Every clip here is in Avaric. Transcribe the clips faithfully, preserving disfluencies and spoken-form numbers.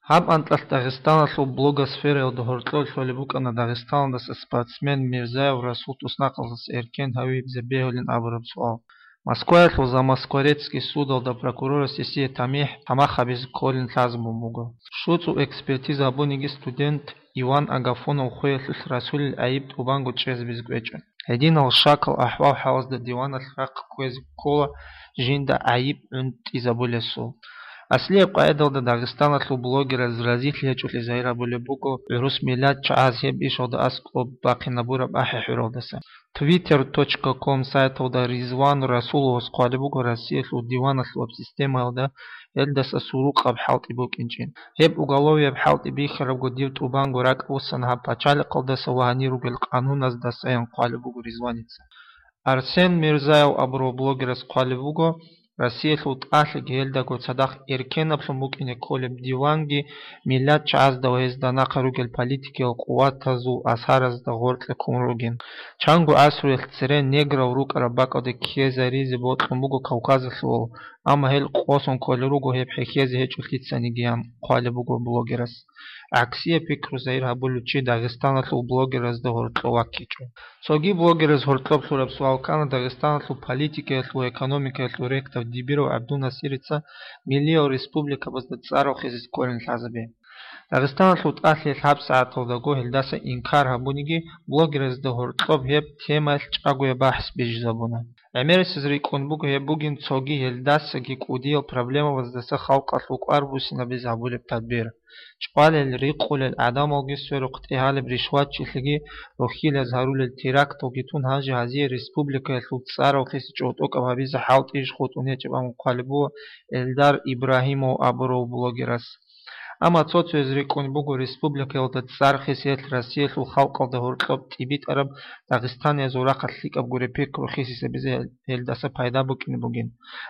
Гьаб анкьалъ Дагъистаналъул блогосфераялда гьоркьор лъолеб букӀана Дагъистаналдаса спортсмен Мирзаев Расул туснахъалдаса эркен гьавизе бегьулин абураб суал. Москваялъул Замоскворецкий судалда прокурорас гьесие тамихӀ тамах гьабизе кколин лъазабун буго. ШуцӀул экспертиза гьабуниги студент Иван Агафонов хвеялъулъ Расулил гӀайиб тӀубанго чӀезабизе кӀвечӀо. Гьединал шакал ахӀвал-хӀалазда диваналъ рахъ кквезе ккола жинда гӀайиб гӀунтӀизабулесул. Аслияб къагӀидалда Дагъистаналъул блогераз разилъи гьечӀолъи загьир гьабулеб буго гӀурус миллат чагӀаз гьеб ишалда аскӀоб бахъинабураб ахӀи-хӀуралдаса. Twitter точка com сайталда Ризван Расуловас хъвалеб буго Россиялъул диваналъулаб системаялда гьелдаса сурукъаб хӀалтӀи букӀинчӀин. Гьеб уголовияб хӀалтӀи бихьарабго дир тӀубанго ракӀ буссана гьаб пачалихъалдаса ва гьанир ругел къануназдасаян хъвалеб буго Ризваница. Арсен Мирзаев абурав блогерас хъвалеб буго, Россиялъул тӀалъиги гьелдаго цадахъ эркенаблъун букӀине кколеб диванги миллат чагӀазда ва гьезда нахъа ругел политикиял къуватазул асаразда гъоркье ккун ругин. Чанго гӀасруялъ цере неграл рукӀараб бакӀалде ккезаризе бокьун буго Кавказалъувал, амма гьел къосун кколел руго гьеб хӀехьезе гьечӀолъицанигиян хъвалеб буго блогерас. ГӀаксияб пикру загьир гьабулев чи Дагъистаналъул блогеразда гьоркьов ваккичӀо. Цоги блогераз гьоркьоб лъураб суал ккана Дагъистаналъул политикаялъул ва экономикаялъул ректор Дибиров ГӀабдунасирица миллиял республикабазда цӀар рохизе кколин лъазабе. Дагъистаналъул тӀалъиялъ гьабсагӀаталдаго гьелдаса инкар гьабуниги, блогеразда гьоркьоб гьеб темаялъ чӀагояб бахӀс бижизабуна. ГӀемерисез рикӀкӀун буго гьеб бугин цоги гьелдасаги кӀудиял проблемабаздаса халкъалъул кӀвар буссинабизе гьабулеб тадбир. ЧӀвалел, рикъулел гӀадамалги сверухъ тӀегьалеб ришватчилъиги рохьилаз гьарулел теракталги тун гьанже гьазие республикаялъул цӀар рохизе чӀотӀокӀаб гьабизе хӀалтӀи иш хутӀун гьечӀеб абун хъвалеб буго Эльдар Ибрагьимов абурав блогерас. Амма цо-цояз рикӀкӀун буго республикаялда цӀар хисиялъ Россиялъул халкъалда гьоркьоб тӀибитӀараб дагъистаниязул рахъалъ лъикӀаб гуреб пикру хисисабизе гьелдаса пайда букӀине бугин.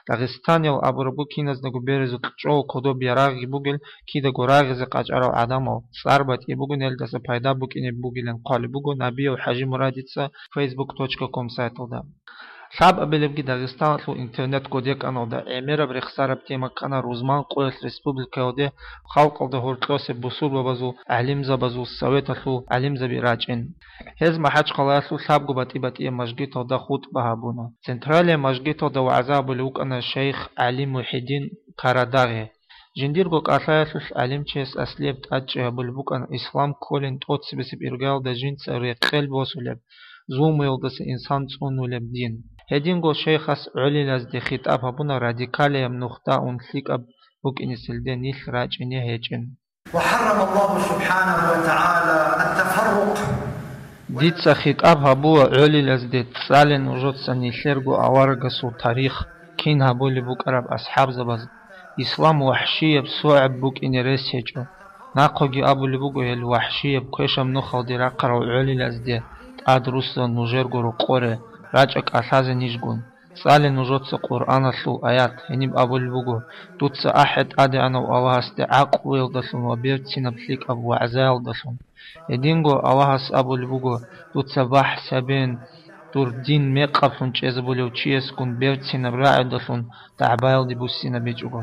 Дагъистаниял абурабго киназдаго беразул кьучӀого кодоб ярагъги бугел, кидаго рагъизе къачӀарал гӀадамал, цӀар батӀи бугин гьелдаса пайда букӀине бугилан хъвалеб буго Набияв ХӀажимурадица фейсбук точка ком сайталда. Лъабабилебги Дагъистаналъул интернет-кодеканалда гӀемераб рехсараб тема ккана рузман къоялъ республикаялде халкъалда гьоркьосе бусурбабазул гӀалимзабазул советалъул гӀалимзаби рачӀин. Гьез МахӀачхъалаялъул лъабго батӀи-батӀияб мажгиталда хутӀба гьабуна. Централияб мажгиталда вагӀза гьабулев вукӀана шайх ГӀали Мухьидин Карадагъи. Жиндирго кӀалъаялъулъ гӀалимчияс аслияб тӀадчӀи гьабулеб букӀана ислам кколин тӀоцебесеб иргаялда жинца рекъел босулеб, зулмуялдаса инсан цӀунулеб дин. Гьединго шайхас гӀолилазде хитӀаб гьабуна радикалияб нухда ун лъикӀаб букӀинесилде нилъ рачӀине гьечӀин. وحرم الله سبحانه وتعالى التفرق. Дица хитӀаб гьабула гӀолилазде, цӀале нужеца нилъерго аварагасул тарих, кин гьабулеб букӀараб асхӀабзабаз. Ислам вахӀшияб, согӀаб букӀине рес гьечӀо. Нахъеги абулеб буго гьел вахӀшияб квешаб нухалде рахъарал гӀолилазде тӀад руссун нужерго рокъоре, рачӀа кӀалъазе нижгун. ЦӀале нужеца Къуръаналъул аят, гьениб абулеб буго: «Дуца ахӀе ТӀадегӀанав Аллагьасде гӀакълуялдалъун ва берцинаб лъикӀаб вагӀзаялдалъун». Гьединго Аллагьас абулеб буго: «Дуца бахӀс гьабен, дур дин мекъаблъун чӀезабулев чиясгун берцинаб рагӀудалъун дагӀбаялде буссинабичӀого.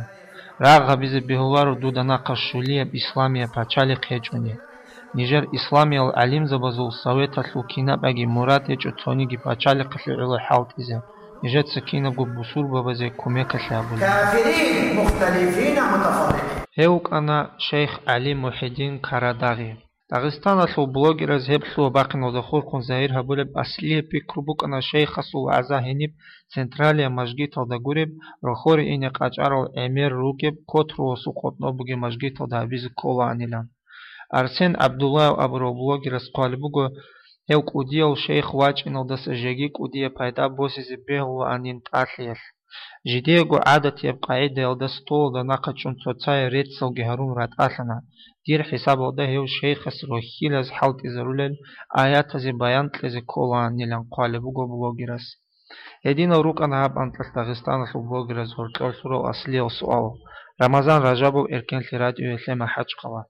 Рагъ гьабизе бегьуларо дуда нахъа щулияб исламияб пачалихъ гьечӀони». Нижер исламиял гӀалимзабазул советалъул кинабаги мурад гьечӀо цониги пачалихъалъе гӀоло хӀалтӀизе, нижеца кинабго бусурбабазе кумекалъе гьабулеб. كافرين مختلفين متفرقين. Гьев вукӀана шайх ГӀали Мухьидин Карадагъи. Дагъистаналъул блогераз гьеб лъугьа-бахъиналда хурхун загьир гьабулеб аслияб пикру букӀана шайхасул вагӀза гьениб централияб мажгиталда гуреб, рохьоре ине къачӀарал гӀемер ругеб, котругьасул къотӀноб бугеб мажгиталда гьабизе кколаанилан. Арсен ГӀабдуллаев абурав блогерас хъвалеб буго, гьев кӀудияв шайх вачӀиналдаса жеги кӀудияб пайда босизе бегьулаанин тӀалъиялъ. Жидеего гӀадатияб къагӀидаялда столалда нахъа чӀун цоцае реццалги гьарун ратӀалъана, дир хӀисабалда гьев шайхас рохьилаз хӀалтӀизарулел аятазе баян кьезе кколаанилан хъвалеб буго блогерас. Гьединал рукӀана гьаб анкьалъ Дагъистаналъул блогераз гьоркьор лъурал аслиял суал. Рамазан Ражабов, Эркенлъи радиоялъе, МахӀачхъала.